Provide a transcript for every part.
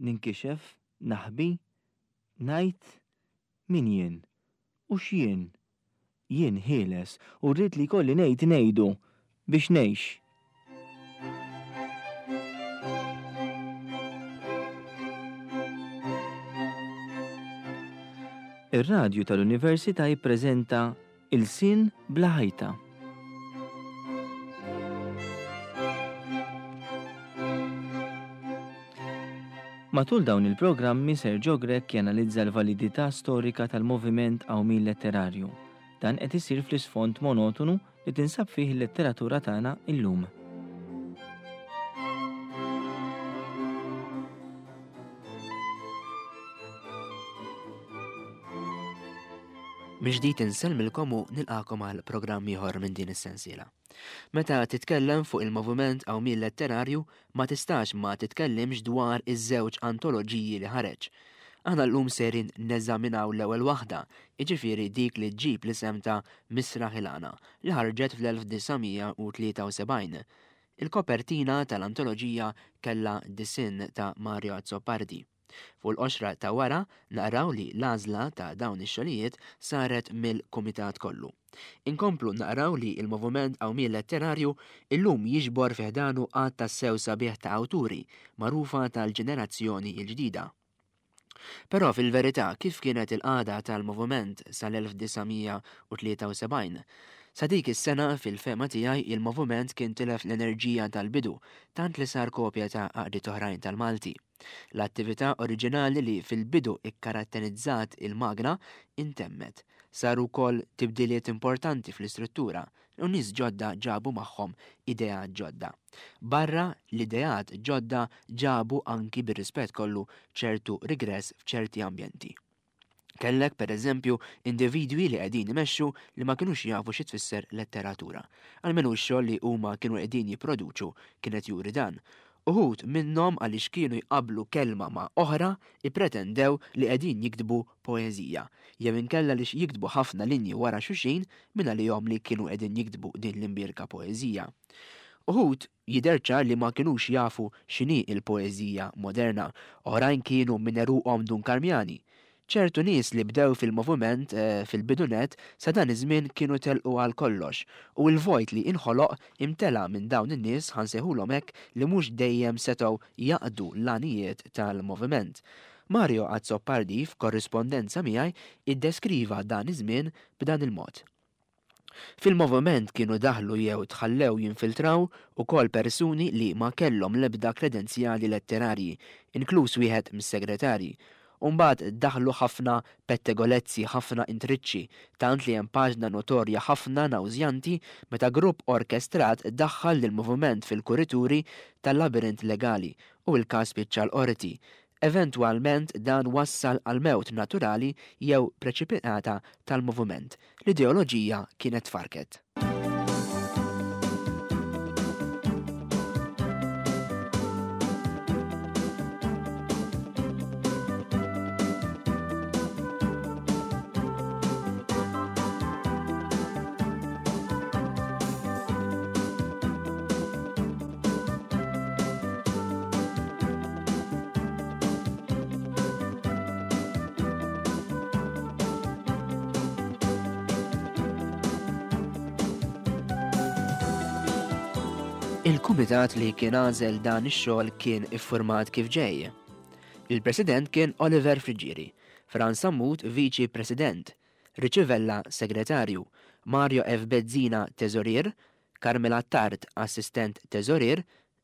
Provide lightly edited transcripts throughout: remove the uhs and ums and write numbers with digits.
Ninkixef? Naħbi? Ngħid? Min jien? U x'jien? Jien ħieles u rrid li jkolli ngħid ngħidu biex ngħix. Ir-radju tal-Università jippreżenta Ilsien bla ħajta. Matul dawn il-programmi Sergio Grech janalizza l-validità storika tal-moviment qawmien letterarju. Dan qed isir fl-isfond monotonu li tinsab fih il-letteratura tagħna illum. Mill-ġdid insellmilkom u nilqagħkom għal programm ieħor minn din is-sensiela. Meta titkellem fuq il-moviment qawmien letterarju ma tistax ma titkellimx dwar iż-żewġ antoloġiji li ħareġ. Aħna llum sejrin neżaminaw l-ewwel waħda, jiġifieri dik li ġġib l-isem ta' Misraħ il-Għana, li ħarġet fl-1973. Il-kopertina tal-antoloġija kellha disinn ta' Mario Azzopardi. Fuq il-qoxra ta' wara naqraw li l-għażla ta' dawn ix-xogħlijiet saret mill-kumitat kollu. Inkomplu naqraw li l-moviment qawmien letterarju illum jiġbor fi ħdanu għadd tassew sabiħ ta' awturi magħrufa tal-ġenerazzjoni l-ġdida. Però fil-verità kif kienet il-qagħda tal-moviment sal-1973? Sa dik is-sena fil-fehma tiegħi il-moviment kien tilef l-enerġija tal-bidu tant li sar kopja ta' għaqdiet oħrajn tal-Malti. L-attività oriġinali li fil-bidu ikkaratterizzat il-magna intemmet. Saru wkoll tibdiliet importanti fl-istruttura u nies ġodda ġabu magħhom ideat ġodda. Barra l-ideat ġodda ġabu anki bir-rispett kollu ċertu rigress f'ċerti ambjenti. Kellek, per eżempju, individwi li qegħdin imexxu li ma kinux jafu xi tfisser letteratura. Almenu x-xogħol li huma kienu qegħdin jipproduċu kien qed juri dan. Uħud minnhom għaliex kienu jqabblu kelma ma' oħra ippretendew li qegħdin jiktbu poeżija, jew inkella għaliex jiktbu ħafna linji wara xulxin mingħalihom li kienu qegħdin jiktbu din l-imbierka poeżija. Uħud jidher ċar li ma kinux jafu x'inhi l-poeżija moderna, oħrajn kienu minn għeruqhom Dunkarmjani. Ċertu nies li bdew fil-moviment fil-bidu nett sa dan iż-żmien kienu telqu għal kollox u l-vojt li inħoloq imtela minn dawn in-nies, ħa nsejħulhom hekk, li mhux dejjem setgħu jaqdu l-għanijiet tal-moviment. Mario Azzopardi f'korrispondenza miegħi iddeskriva dan iż-żmien b'dan il-mod. Fil-moviment kienu daħlu jew tħallew jinfiltraw ukoll persuni li ma kellhom l-ebda kredenzjali letterarji, inkluż wieħed mis-segretarji. U mbagħad daħlu ħafna pettegolezzi, ħafna intriċċi, tant li hemm paġna notorja ħafna nawżjanti meta grupp orkestrat daħħal lill-moviment fil-kurituri tal-labirint legali u l-każ spiċċa l-qorti. Eventwalment dan wassal għall-mewt naturali jew preċipitata tal-moviment. L-ideoloġija kienet tfarrket. Il-kumitat li kien għażel dan ix-xogħol kien iffurmat kif ġej. Il-President kien Oliver Friggieri, Frans Sammut Viċi President, Richie Vella Segretarju, Mario F. Bezzina Teżorier, Carmel Attard Assistent Teżorier,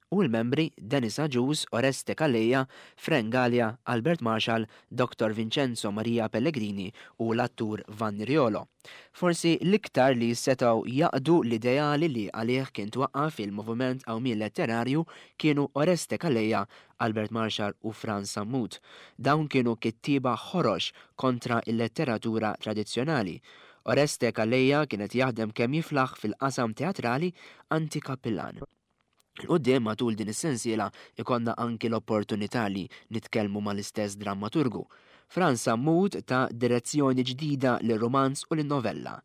u l-membri Dennis Agius, Oreste Calleja, Frank Galea, Albert Marshall, Dottor Vincenzo Maria Pellegrini u l-attur Vanni Riolo. Forsi l-iktar li setgħu jaqdu l-ideali li għalih kien twaqqaf il-moviment qawmien letterarju kienu Oreste Calleja, Albert Marshall u Frans Sammut. Dawn kienu kittieba ħorox kontra l-letteratura tradizzjonali. Oreste Calleja kien qed jaħdem kemm jiflaħ fil-qasam teatrali anti-kappillan. 'Il quddiem matul din is-sensiela ikollna anki l-opportunità li nitkellmu mal-istess drammaturgu. Frans Sammut ta direzzjoni ġdida lir-rumanz u lin-novella.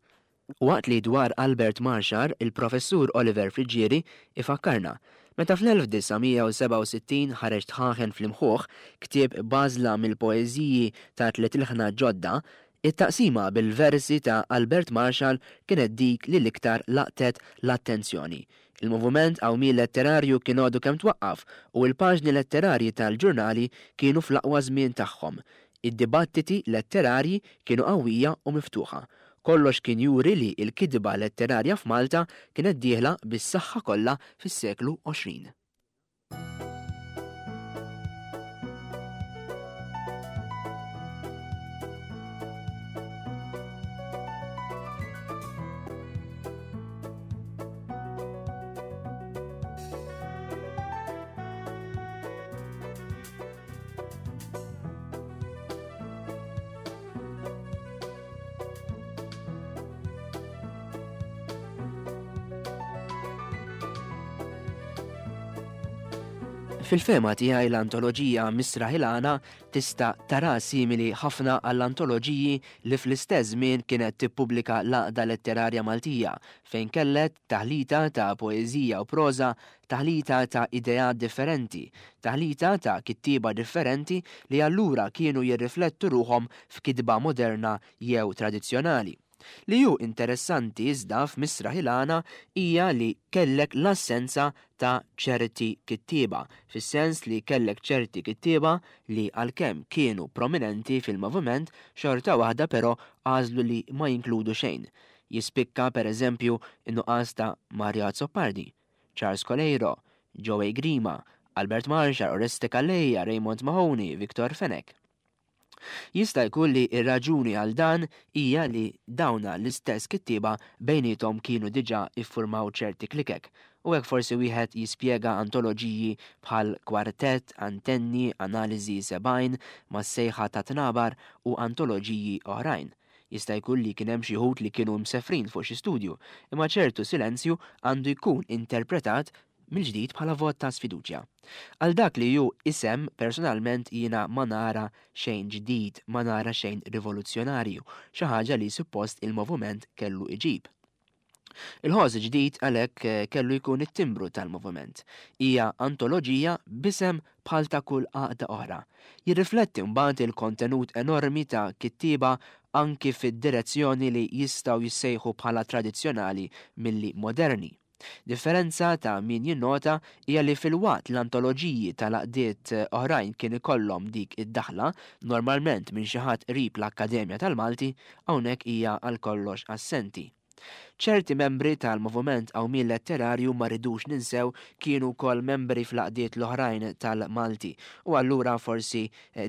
Waqt li dwar Albert Marxar, il-Professur Oliver Friggieri ifakkarna. Meta fl-1967 ħareġ Dħaħen fl-Imħuħ, ktieb b'għażla mill-poeżiji ta' tliet ilħna ġodda, it-taqsima bil-versi ta' Albert Marshall kienet dik li l-iktar laqtet l-attenzjoni. Il-moviment qawmien letterarju kien għadu kemm twaqqaf u l-paġni letterarji tal-ġurnali kienu fl-aqwa żmien tagħhom. Id-dibattiti letterarji kienu qawwija u miftuħa. Kollox kien juri li l-kitba letterarja f'Malta kienet dieħla bis-saħħa kollha fis-seklu 20. Fil-fehma tiegħi l-antoloġija Misraħ il-Għana tista' tara simili ħafna għall-antoloġiji li fl-istess żmien kienet tippubblika l-Għaqda Letterarja Maltija fejn kellet taħlita ta' poeżija u proża taħlita ta' ideat differenti, taħlita ta' kittieba differenti li allura kienu jirriflettu ruħhom f'kitba moderna jew tradizzjonali. Li hu interessanti iżda f'Misraħ il-Għana hija li kellek l-assenza ta' ċerti kittieba, fis-sens li kellek ċerti kittieba li għalkemm kienu prominenti fil-moviment xorta waħda però għażlu li ma jinkludu xejn. Jispikka per eżempju n-nuqqas ta' Mario Azzopardi, Charles Coleiro, Joey Grima, Albert Marshall, Oreste Calleja, Raymond Mahoney, Victor Fenech. Jista' jkun li r-raġuni għal dan hija li dawna l-istess kittieba bejniethom kienu diġà iffurmaw ċerti klikek, u hekk forsi wieħed jispjega antoloġiji bħal Kwartett, Antenni, Analiżi 70, Mas-Sejħa tat-Tnabar u antoloġiji oħrajn. Jista' jkun li kien hemm xi wħud li kienu msefrin fuq xi studju, imma ċertu silenzju għandu jkun interpretat mill-ġdid bħala vot ta' sfiduċja. Għal dak li hu isem, personalment jiena ma nara xejn ġdid, ma nara xejn rivoluzzjonarju, xi ħaġa li suppost il-moviment kellu iġib. Il-ħoss ġdid għalhekk eh, kellu jkun it-timbru tal-moviment. Hija antoloġija b'isem bħal ta' kull għaqda oħra. Jirrifletti mbagħad il-kontenut enormi ta' kittieba anki fid-direzzjoni li jistgħu jissejħu bħala tradizzjonali milli moderni. Differenza ta' min jinnota hija li filwaqt l-antoloġiji tal-għaqdiet oħrajn kien ikollhom dik id-daħla, normalment minn xi ħadd qrib l-Akkademja tal-Malti, hawnhekk hija għal kollox assenti. Ċerti membri tal-Moviment Qawmien Letterarju ma rridux ninsew kienu wkoll membri fl-għaqdiet l-oħrajn tal-Malti u allura forsi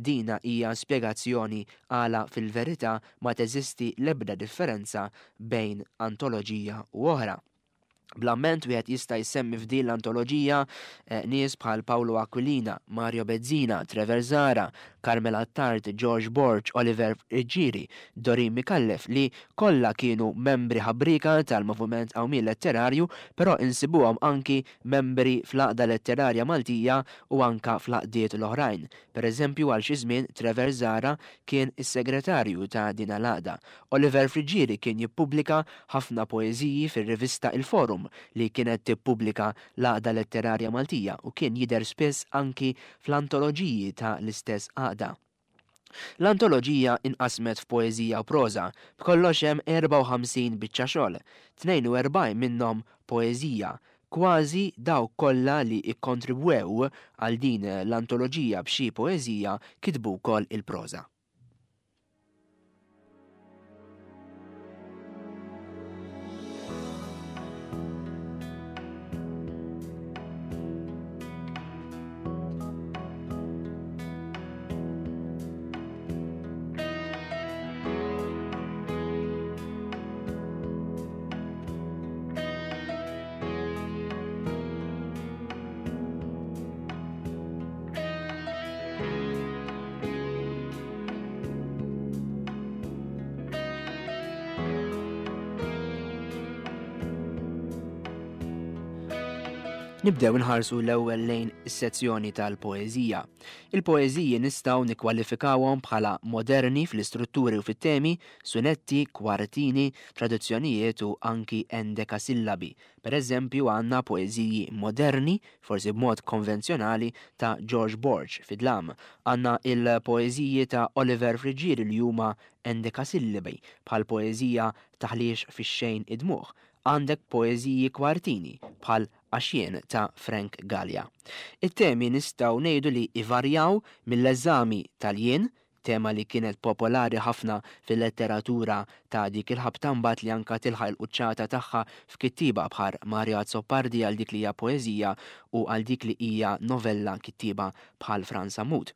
dina hija spjegazzjoni għala fil-verità ma teżisti l-ebda differenza bejn antoloġija u oħra. Bl-amment wieħed jista' jsemmi f'din l-antoloġija eh, nies bħal Paolo Aquilina, Mario Bezzina, Trevor Zara, Carmel Attard, George Borg, Oliver Ġiri, Dorin Mikallef li kollha kienu membri ħabrika tal-Moviment Qawmien Letterarju, però insibuhom anki membri fl-Għaqda Letterarja Maltija u anka fl-għaqdiet l-oħrajn. Per eżempju għal xi żmien Trevor Zara kien is-segretarju ta' din l-għaqda. Oliver Friggieri kien jippubblika ħafna poeżiji fir-rivista Il-Forum li kienet tippubblika l-Għaqda Letterarja Maltija u kien jidher spiss anki fl-antoloġiji ta' l-istess għaqda. L-antoloġija inqasmet f'poeżija u proża, b'kollox hemm 54 biċċa xogħol, 42 minnhom poeżija. Kważi dawk kollha li kkontribwew għal din l-antoloġija b'xi poeżija kitbu wkoll il-proża. Nibdew inħarsu l-ewwel lejn is-sezzjoni tal-poeżija. Il-poeżiji nistgħu nikkwalifikawhom bħala moderni fl-istrutturi u fit-temi, sunetti, kwartini, traduzzjonijiet u anki endekasillabi. Per eżempju għandna poeżiji moderni, forsi b'mod konvenzjonali, ta' George Borg fid-dlam. Għandna il-poeżiji ta' Oliver Friggieri li huma endekasillabi bħall-poeżija Taħlix fix-xejn id-dmugħ. Għandek poeżiji kwartini bħal Għax Jien ta' Frank Galea. It-temi nistgħu ngħidu li jvarjaw mill-eżami tal-jien, tema li kienet popolari ħafna fil-letteratura ta' dik il-ħabta mbagħad li anka tilħaq il-quċċata tagħha f'kittieba bħal Mario Azzopardi għal dik li hija poeżija u għal dik li hija novella kittieba bħal Frans Sammut.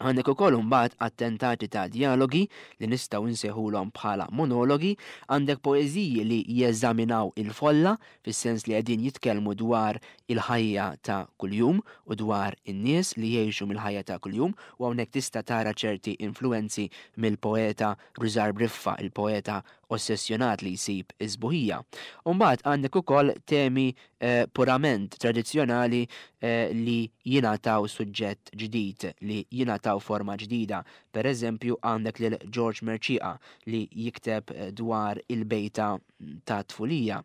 Għandek ukoll imbagħad attentati ta' djalogi li nistgħu nsejħulhom bħala monologi, għandek poeżiji li jeżaminaw il-folla fis-sens li qegħdin jitkellmu dwar il-ħajja ta' kuljum u dwar in-nies li jgħixu mill-ħajja ta' kuljum u hawnhekk tista' tara ċerti influwenzi mill-poeta Rużar Briffa, il-poeta ossessjonat li jsib is-sbuħija. U mbagħad għandek ukoll temi purament tradizzjonali li jingħataw suġġett ġdid, li jingħataw forma ġdida. Per eżempju, għandek lil George Mercieca li jikteb dwar il-bejta ta' tfulija.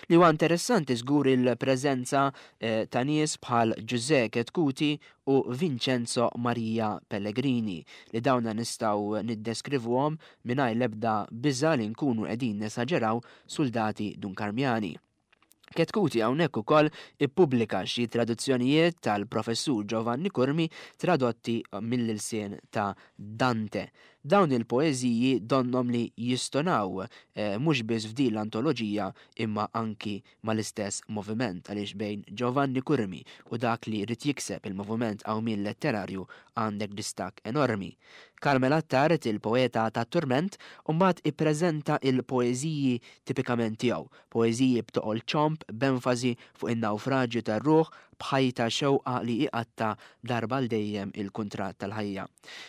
Li huwa interessanti żgur il-preżenza ta' nies bħal Ġużè Chetcuti u Vincenzo Maria Pellegrini li dawna nistgħu niddeskrivuhom mingħajr l-ebda biża' li nkunu qegħdin nesaġeraw suldati Dunkarmjani. Chetcuti hawnhekk ukoll ippubblika xi traduzzjonijiet tal-Professur Giovanni Curmi tradotti mill-ilsien ta' Dante. Dawn il-poeżiji donnhom li jistonaw mhux biss f'din l-antoloġija imma anki mal-istess moviment għaliex bejn Giovanni Curmi u dak li ried jikseb il-moviment qawmien letterarju għandek distakk enormi. Carmel Attard, il-poeta tat-turment, mbagħad ippreżenta l-poeżiji tipikament tiegħu, Poeżiji b'toqol ċomb b'enfasi fuq in-nawfraġju tar-ruħ b'ħajta xewqa li iqatta' darba għal dejjem il-kuntratt tal-ħajja.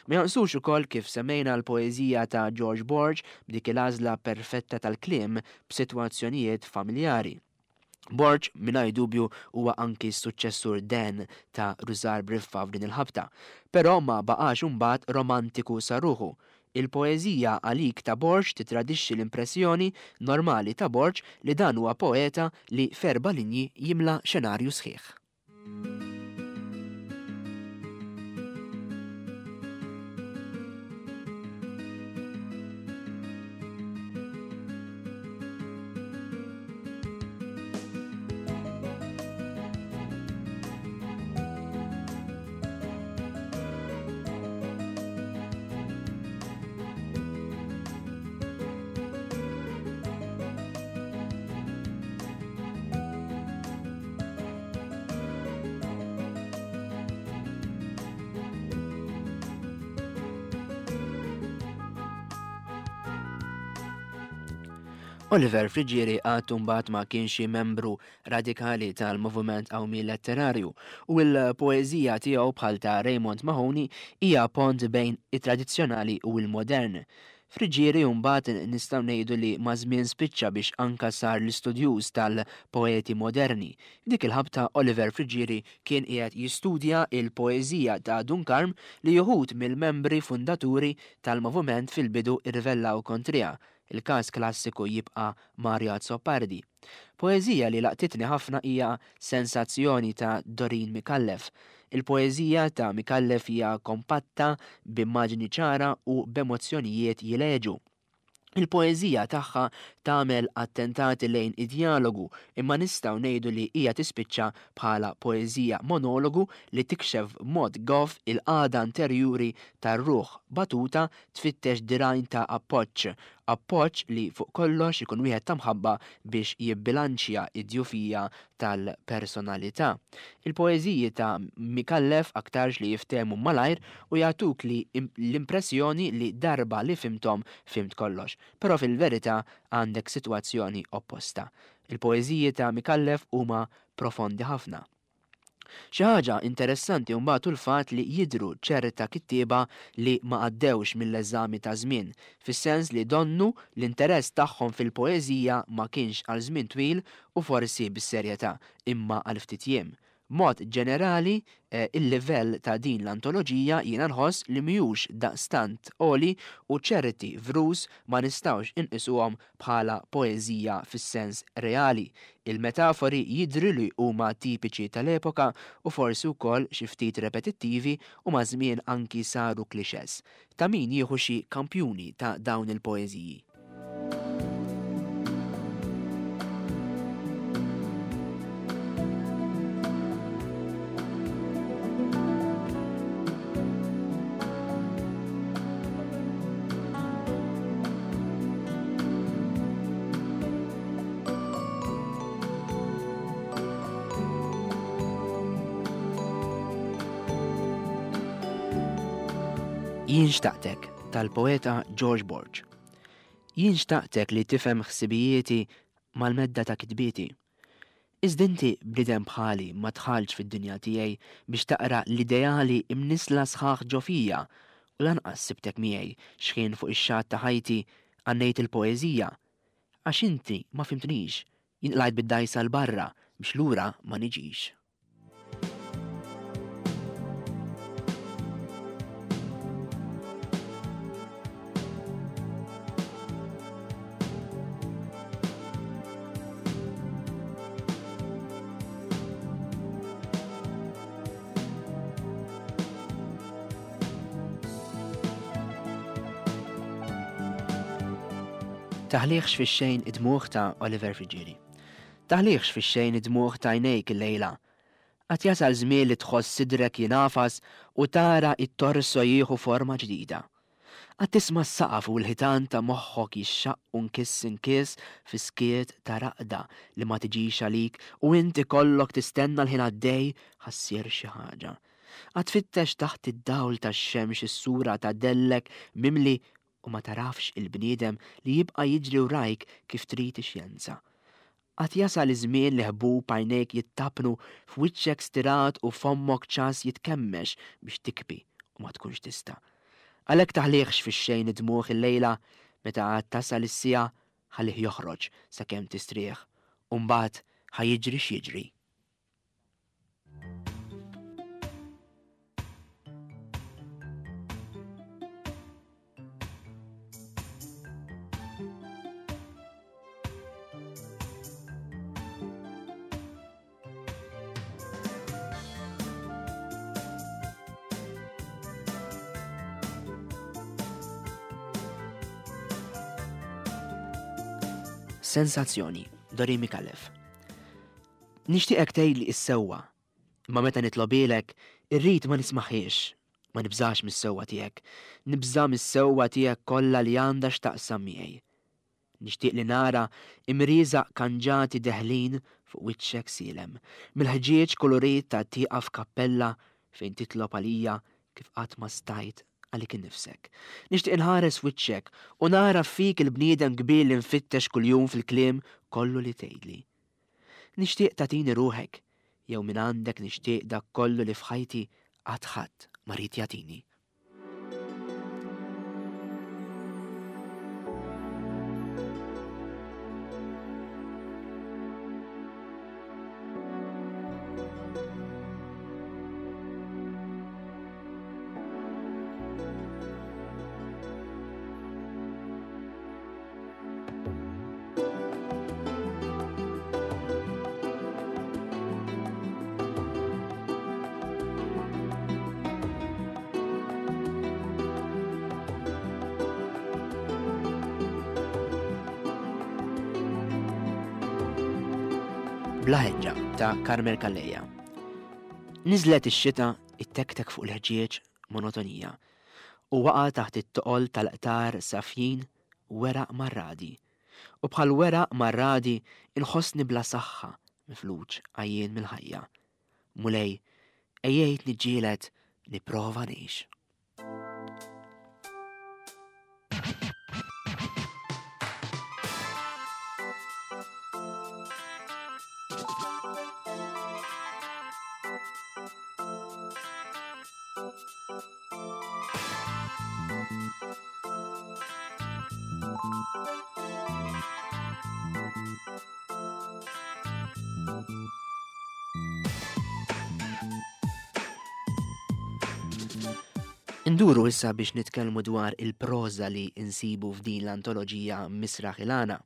Ma jonqsux ukoll kif semmejna l-poeżija ta' George Borg b'dik il-għażla perfetta tal-kliem b'sitwazzjonijiet familjari. Borg, mingħajr dubju, huwa anki s-suċċessur den ta' Rużar Briffa f'din il-ħabta. Però ma baqax imbagħad romantiku sa ruħu. Il-poeżija Għalik ta' Borg titradixxi l-impressjoni normali ta' Borg li dan huwa poeta li f'erba' linji jimla xenarju sħiħ. Oliver Friggieri għad mbagħad ma kienx membru radikali tal-moviment qawmi letterarju u l-poeżija tiegħu bħal ta' Raymond Mahoney hija pont bejn it-tradizzjonali u l-modern. Friggieri mbagħad nistgħu ngħidu li maż-żmien spiċċa biex anka sar l-istudjuż tal-poeti moderni. F'dik il-ħabta Oliver Friggieri kien qiegħed jistudja l-poeżija ta' Dun Karm li uħud mill-membri fundaturi tal-moviment fil-bidu rrivellaw kontriha. Il-każ klassiku jibqa' Mario Azzopardi. Poeżija li laqtitni ħafna hija Sensazzjoni ta' Doreen Micallef. Il-poeżija ta' Micallef hija kompatta, b'immaġni ċara u b'emozzjonijiet jileġu. Il-poeżija tagħha tagħmel attentati lejn id-djalogu imma nistgħu ngħidu li hija tispiċċa bħala poeżija monologu li tikxef b'mod goff il-qagħda interjuri tar-ruħ batuta tfittex dirgħajn ta' appoġġ, appoġġ li fuq kollox ikun wieħed ta' mħabba biex jibbilanċja d-djufija tal-personalità. Il-poeżiji ta' Micallef aktarx li jiftehmu malajr u jagħtuk li l-impressjoni li darba li fhimthom fhimt kollox. Però fil-verità għandek sitwazzjoni opposta. Il-poeżiji ta' Micallef huma profondi ħafna. Xi ħaġa interessanti mbagħad hu l-fatt li jidhru ċerta kittieba li ma għaddewx mill-eżami taż-żmien, fis-sens li donnu l-interess tagħhom fil-poeżija ma kienx għal żmien twil u forsi bis-serjetà, imma għal ftit jiem. B'mod ġenerali, il-livell ta' din l-antoloġija jiena nħoss li mhijux daqstant għoli u ċerti vrus ma nistgħux inqisuhom bħala poeżija fis-sens reali. Il-metafori jidhru li huma tipiċi tal-epoka u forsi wkoll xi ftit repetittivi u maż-żmien anki saru clichés. Ta' min jieħu xi kampjuni ta' dawn il-poeżiji. Jien xtaqtek tal-poeta George Borg. Jien xtaqtek li tifhem ħsibijieti mal-medda ta' kitbieti. Iżda inti bniedem bħali ma dħaltx fid-dinja tiegħi biex taqra l-ideali imnissla sħaħ ġo fija u lanqas sibtek miegħi x'ħin fuq ix-xatt ta' ħajti għannejt il-poeżija. Għax inti ma fhimtnix, jien qlajt bid-dgħajsa 'l barra biex lura ma niġix. Taħliħx fix-xejn id-dmugħ ta' Oliver Friggieri. Taħliħx fix-xejn id-dmugħ t'għajnejk illejla. Għad jasal żmien li tħoss sidrek jingħafas u tara it-torso jieħu forma ġdida. Għad tisma' s-saqaf u l-ħitan ta' moħħok jixxaqqu nkiss inkiss fi skiet ta' raqda li ma tiġix għalik u int ikollok tistenna l-ħin għaddej ħa ssir xi ħaġa. Għad tfittex taħt id-dawl tax-xemx is-sura ta' dellek mimli u ma tagħrafx il-bniedem li jibqa' jiġri wrajk kif trid ix-xjenza. Għad jasal iż-żmien li ħbub għajnejk jittappnu f'wiċċek stirat u fommok ċass jitkemmex biex tikbi u ma tkunx tista'. Għalhekk taħlihx fix-xejn id-dmugħ illejla meta għad tasal is-siegħa ħallih joħroġ sakemm tistrieħ u mbagħad ħa jiġri x'jiġri. Sensazzjoni, Dori Micallef. Nixtieqek tgħidli s-sewwa, imma meta nitlobilek, irrid ma nismaħiex, ma nibżax mis-sewwa tiegħek, nibża' mis-sewwa tiegħek kollha li għandha x'taqsam miegħi. Nixtieq li nara imrieżaq kanġati deħlin fuq wiċċek sielem, mill-ħġieġ kulurit ta' tieqa f'kappella fejn titlob għalija kif qatt ma stajt għalik innifsek. Nixtieq inħares f'wiċċek u nara fik il-bniedem kbir li nfittex kuljum fil-kliem kollu li tgħidli. Nixtieq tagħtini ruħek, jew mingħandek nixtieq dak kollu li f'ħajti qatt ħadd ma ried jagħtini. Bla ħeġġa ta' Carmel Calleja. Niżlet ix-xita ittektek fuq il-ħġieġ monotonija u waqa' taħt it-toqol tal-qtar safjin weraq marradi. U bħal weraq marradi inħossni bla saħħa, mifluġ, għajjien mill-ħajja. Mulej, għejjejt niġġieled nipprova ngħix. Induru issa biex nitkellmu dwar il-proża li nsibu f'din l-antoloġija Misraħ il-Għana.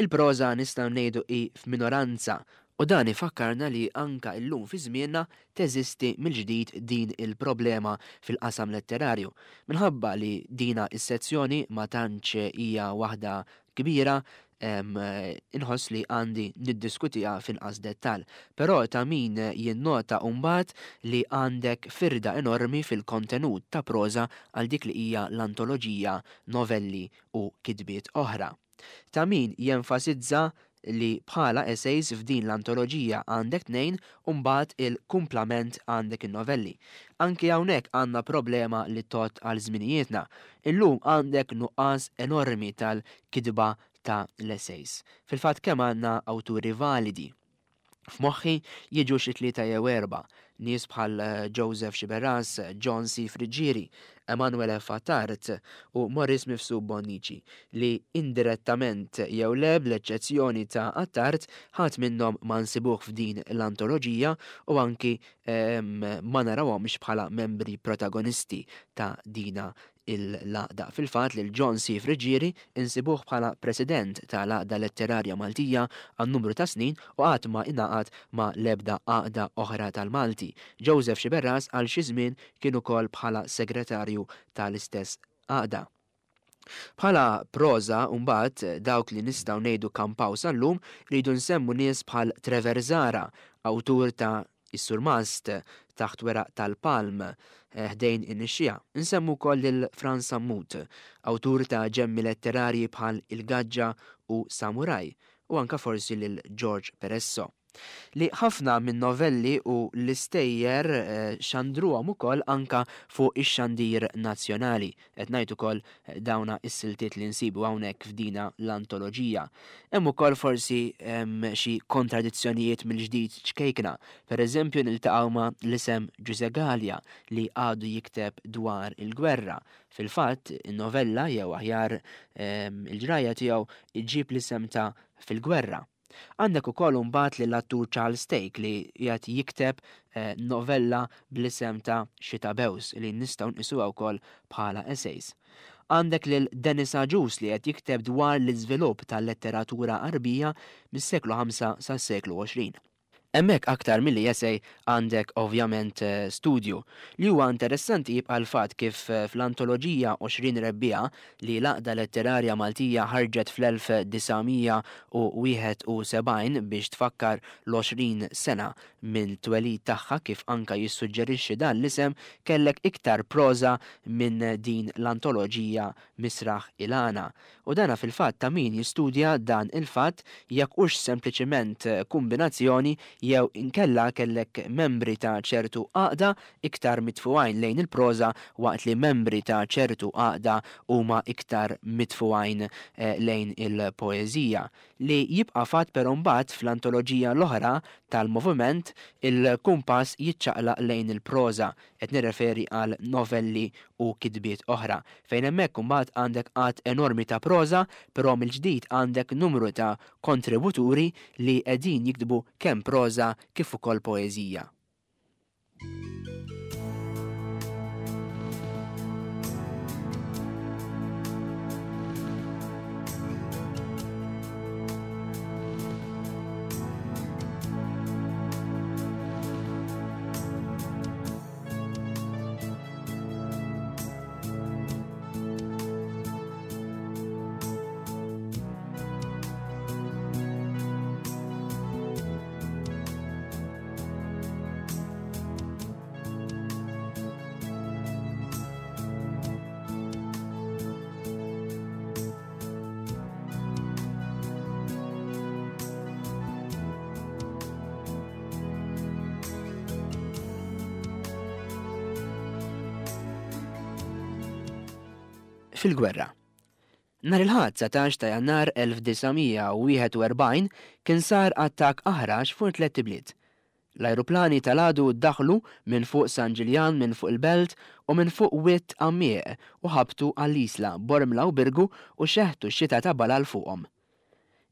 Il-proża nistgħu ngħidu hi f'minoranza u dan ifakkarna li anka illum fi żmienna teżisti mill-ġdid din il-problema fil-qasam letterarju. Minħabba li dina is-sezzjoni ma tantx hija waħda kbira, inħoss li għandi niddiskutiha f'inqas dettall. Però ta' min jinnota mbagħad li għandek firda enormi fil-kontenut ta' proża għal dik li hija l-antoloġija, novelli u kitbiet oħra. Ta' min jenfasizza li bħala essays f'din l-antoloġija għandek tnejn u mbagħad il-kumplament għandek in-novelli. Anki hawnhekk għandna problema li tgħodd għal żminijietna. Illum għandek nuqqas enormi tal-kitba ta' l-essays. Fil-fatt kemm għandna awturi validi? F'moħħi jiġu xi tlieta jew erbgħa, nies bħal Joseph Sciberras, John C. Friggieri, Emanuele Attard u Maurice Mifsud Bonnici, li indirettament jew le bl-eċċezzjoni ta' Attard ħadd minnhom ma nsibuh f'din l-antoloġija u anki ma narawhomx bħala membri protagonisti ta' dina l-għaqda. Fil-fatt lil John C. Friggieri insibuh bħala President ta' l-Għaqda Letterarja Maltija għal numru ta' snin u qatt ma ingħaqad ma' l-ebda għaqda oħra tal-Malti. Joseph Sciberras għal xi żmien kien ukoll bħala Segretarju ta' l-istess għaqda. Bħala proża mbagħad dawk li nistgħu ngħidu kampaw sal-lum rridu nsemmu nies bħal Trevor Zahra, awtur ta' Is-Surmast, Taħt Weraq tal-Palm, Ħdejn in-Nixxiegħa. Insemmu wkoll lil Frans Sammut, awtur ta' ġemmi letterarji bħal Il-Gaġġa u Samuraj, u anke forsi lil George Peresso. Li ħafna min-novelli u l-istejjer xandruhom ukoll anke fuq ix-xandir nazzjonali. Qed ngħid ukoll dawna s-siltiet li nsibu hawnhekk f'dina l-antoloġija. Hemm ukoll forsi xi kontradizzjonijiet mill-ġdid ċkejkna. Per eżempju niltaqgħu ma' l-isem Ġużè Galea li għadu jikteb dwar il-gwerra. Fil-fatt, in-novella jew aħjar il-ġrajja tiegħu iġġib l-isem ta' Fil-Gwerra. Għandek ukoll imbagħad lill-attur Charles Thake li qiegħed jikteb novella bl-isem ta' Xita Bews li nistgħu nqisuha wkoll bħala essays. Għandek lil Dennis Agius li qed jikteb dwar l-iżvilupp tal-letteratura Għarbija mis-seklu ħamsa sas-seklu 20. Hemmhekk aktar milli essay għandek ovvjament studju. Li huwa interessanti jibqa' l-fatt kif fl-antoloġija 20 Rebbiegħa li l-Għaqda Letterarja Maltija ħarġet fl-1971 biex tfakkar l-20 sena mill-twelid tagħha kif anka jissuġġerixxi dan l-isem kellek iktar proża minn din l-antoloġija Misraħ il-Għana. U dana fil-fatt ta' min jistudja dan il-fatt jekk hux sempliċiment kumbinazzjoni jew inkella kellek membri ta' ċertu għaqda iktar mitfugħin lejn il-proża waqt li membri ta' ċertu għaqda huma iktar mitfugħin lejn il-poeżija. Li jibqa' fatt però mbagħad fl-antoloġija l-oħra tal-moviment il-kumpass jiċċaqlaq lejn il-proża, qed nirreferi għal novelli u kitbiet oħra, fejn hemmhekk imbagħad għandek għadd enormi ta' proża, però mill-ġdid għandek numru ta' kontributuri li qegħdin jiktbu kemm proża kif ukoll poeżija. Fil-gwerra. Nhar il-Ħadd 19 ta' Jannar 1941 kien sar attakk aħrax fuq tlett ibliet. L-ajruplani tal-għadu daħlu minn fuq San Ġiljan, minn fuq il-Belt u minn fuq Wied Għammieq u ħabtu għall-Isla, Bormla u Birgu u xeħtu xita ta' balal fuqhom.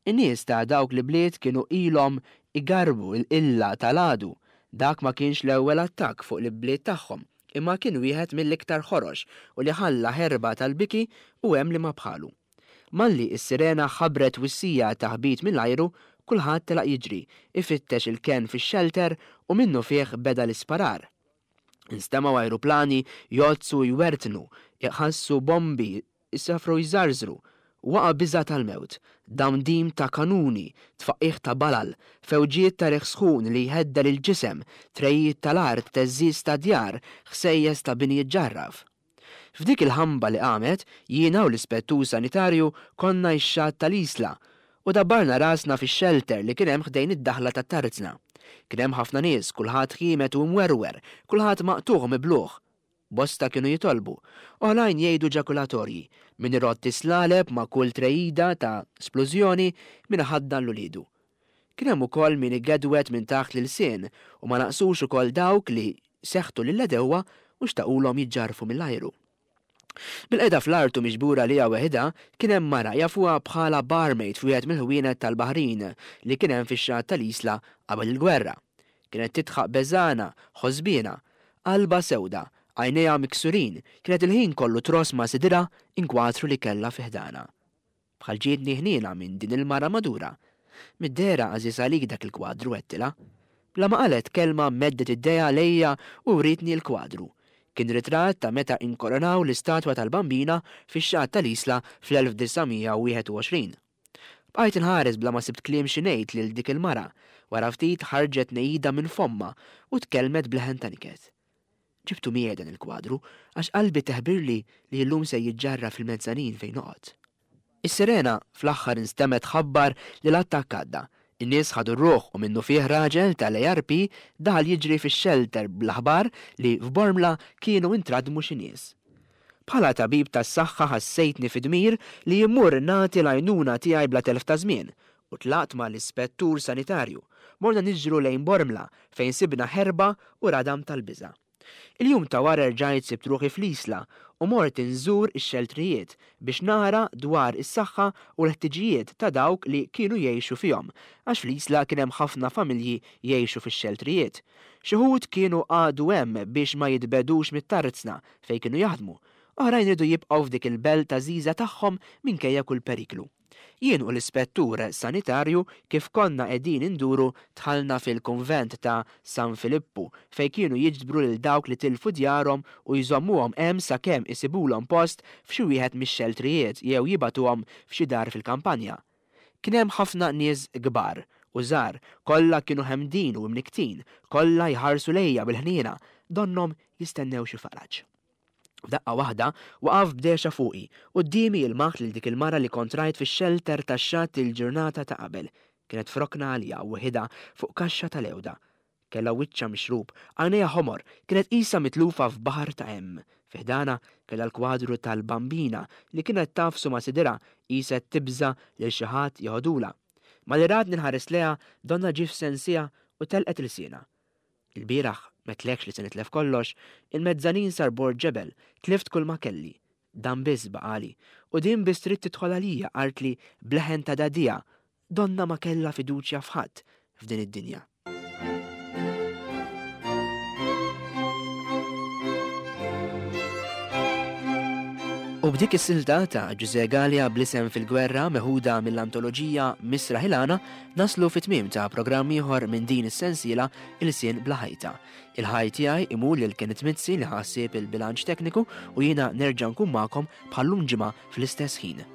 In-nies ta' dawk l-ibliet kienu ilhom igarrbu l-qilla tal-għadu. Dak ma kienx l-ewwel attakk fuq l-ibliet tagħhom, imma kien wieħed mill-iktar ħorox u li ħalla ħerba tal-biki u hemm li ma bħalu. Malli s-sirena ħabbret twissija ta' ħbit mill-ajru, kulħadd telaq jiġri, ifittex il-kenn fix-xelter u minnufih beda l-isparar. Instemgħu ajruplani jgħoddsu u jwertnu, iħassu bombi jsafru jżarżru. Waqa' biża' tal-mewt, damdim ta' kanuni, tfaqqigħ ta' balal, fewġiet ta' riħ sħun li jheddel il-ġisem, trejijiet tal-art, theżżiż ta' djar, ħsejjes ta' bini jiġġarraf. F'dik il-ħamba li qamet, jiena u l-ispettur sanitarju konna x-xatt tal-Isla u dabbarna rasna fix-xelter li kien hemm ħdejn id-daħla tat-tarzna. Kien hemm ħafna nies, kulħadd ħiemed u imwerwer, kulħadd maqtugħ u miblugħ. Bosta kienu jitolbu, oħrajn jgħidu ġakulatorji, min irodd is-slaleb ma' kull trejida ta' splużjoni, min iħaddan 'l uliedu. Kien hemm ukoll min igedwed minn taħt l-ilsien u ma naqsux ukoll dawk li seħtu lill-għedewwa u xtaqulhom jiġġarrfu mill-ajru. Bilqiegħda fl-art u miġbura għaliha weħidha, kien hemm mara jafuha bħala barmaid f'wieħed mill-ħwienet tal-baħrin li kien hemm fix-xatt tal-Isla qabel il-gwerra. Kienet tidħaq beżgħana, ħosbiena, qalbha sewda, għajnejha miksurin, kienet il-ħin kollu tross ma' sidirha inkwatru li kellha fi ħdanha. Bħal ġietni ħniena minn din il-mara madura. Mid-dehra għażiż għalik dak il-kwadru, għedtilha. Bla ma qalet kelma meddet idejha lejja u wrietni l-kwadru. Kien ritratt ta' meta inkoronaw l-istatwa tal-Bambina fix-xatt tal-Isla fl-1921. Bqajt inħares bla ma sibt kliem xi ngħid lil dik il-mara. Wara ftit ħarġet ngħida minn fommha u tkellmet b'leħen ta' niket. Ġibtu miegħi dan il-kwadru għax qalbi teħbirli li llum se jiġġarraf fil-mezzanin fejn noqgħod. Is-sirena fl-aħħar instemgħet tħabbar li l-attakk għadda. In-nies ħadu r-ruħ u minnufih raġel tal-ARP daħal jiġri fix-xelter bl-aħbar li f'Bormla kienu intradmu xi nies. Bħala tabib tas-saħħa ħassejtni fi dmir li immur nagħti l-għajnuna tiegħi bla telf ta' żmien u tlaqt ma' l-ispettur sanitarju. Morna niġru lejn Bormla fejn sibna ħerba u radam tal-biża'. Il-jum ta' wara rġajt sibt ruħi fl-Isla u mort inżur ix-xeltrijiet biex nara dwar is-saħħa u l-ħtiġijiet ta' dawk li kienu jgħixu fihom għax fl-Isla kien hemm ħafna familji jgħixu fix-xeltrijiet. Xi wħud kienu qagħdu hemm biex ma jitbegħdux mit-tarzna fejn kienu jaħdmu. Oħrajn riedu jibqgħu f'dik il-belt għażiża tagħhom minkejja kull periklu. Jien u l-ispettur sanitarju kif konna qegħdin induru dħalna fil-kunvent ta' San Filippu fejn kienu jiġbru lil dawk li tilfu djarhom u jżommuhom hemm sakemm isibulhom post f'xi wieħed mix-xeltrijiet jew jibagħtuhom f'xi dar fil-kampanja. Kien hemm ħafna nies kbar u żgħar, kollha kienu ħemdin u imnikktin, kollha jħarsu lejja bil-ħniena, donnhom jistennew xi faraġ. F'daqqa waħda, waqaf b'dehxa fuqi. Quddiemi ilmaħt lil dik il-mara li kont rajt fix-xelter tax-xatt il-ġurnata ta' qabel. Kienet f'rokna għalija weħidha fuq kaxxa tal-għewda. Kellha wiċċha mixrub, għajnejha ħomor, kienet qisha mitlufa f'baħar ta' hemm. Fi ħdanha kellha l-kwadru tal-Bambina li kienet tagħfsu ma' sidirha qisha qed tibża' lil xi ħadd jeħodulha. Malli ratni nħares lejha donnha ġie f'sensiha u telqet ilsienha. Ilbieraħ m'għedtlekx li se nitlef kollox, il-mezzanin sar bord ġebel, tlift kulma kelli. Dan biss baqagħli. U din biss trid tidħol għalija, qaltli b'leħen ta' dagħdigħa, donnha ma kellha fiduċja f'ħadd f'din id-dinja. U b'dik is-silta ta' Ġużè Galea bl-isem Fil-Gwerra meħuda mill-antoloġija Misraħ il-Għana naslu fit-tmiem ta' programm ieħor minn din is-sensiela Ilsien bla ħajta. Il-ħaj tiegħi imur lil Kenneth Mizzi li ħa ħsieb il-bilanċ tekniku u jiena nerġa' nkun magħkom bħal-lum ġimgħa fl-istess ħin.